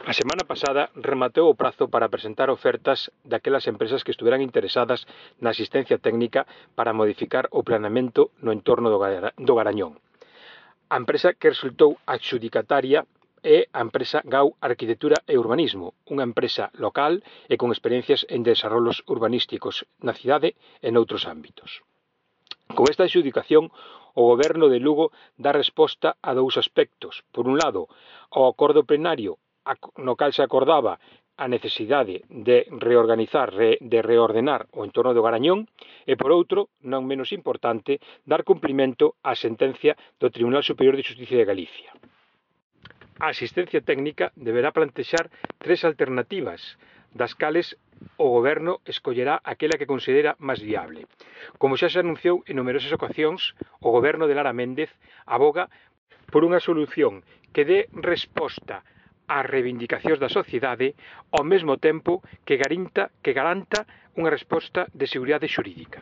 A semana pasada rematou o prazo para presentar ofertas daquelas empresas que estuveran interesadas na asistencia técnica para modificar o planeamento no entorno do Garañón. A empresa que resultou adxudicataria é a empresa GAU Arquitectura e Urbanismo, unha empresa local e con experiencias en desarrollos urbanísticos na cidade e noutros ámbitos. Con esta adxudicación, o Goberno de Lugo dá resposta a dous aspectos. Por un lado, ao acordo plenario no cal se acordaba a necesidade de reordenar o entorno do Garañón e, por outro, non menos importante, dar cumprimento á sentencia do Tribunal Superior de Xustiza de Galicia. A asistencia técnica deberá plantexar tres alternativas, das cales o Goberno escollerá aquela que considera máis viable. Como xa se anunciou en numerosas ocasións, o Goberno de Lara Méndez aboga por unha solución que dé resposta ás reivindicacións da sociedade ao mesmo tempo que garanta unha resposta de seguridade xurídica.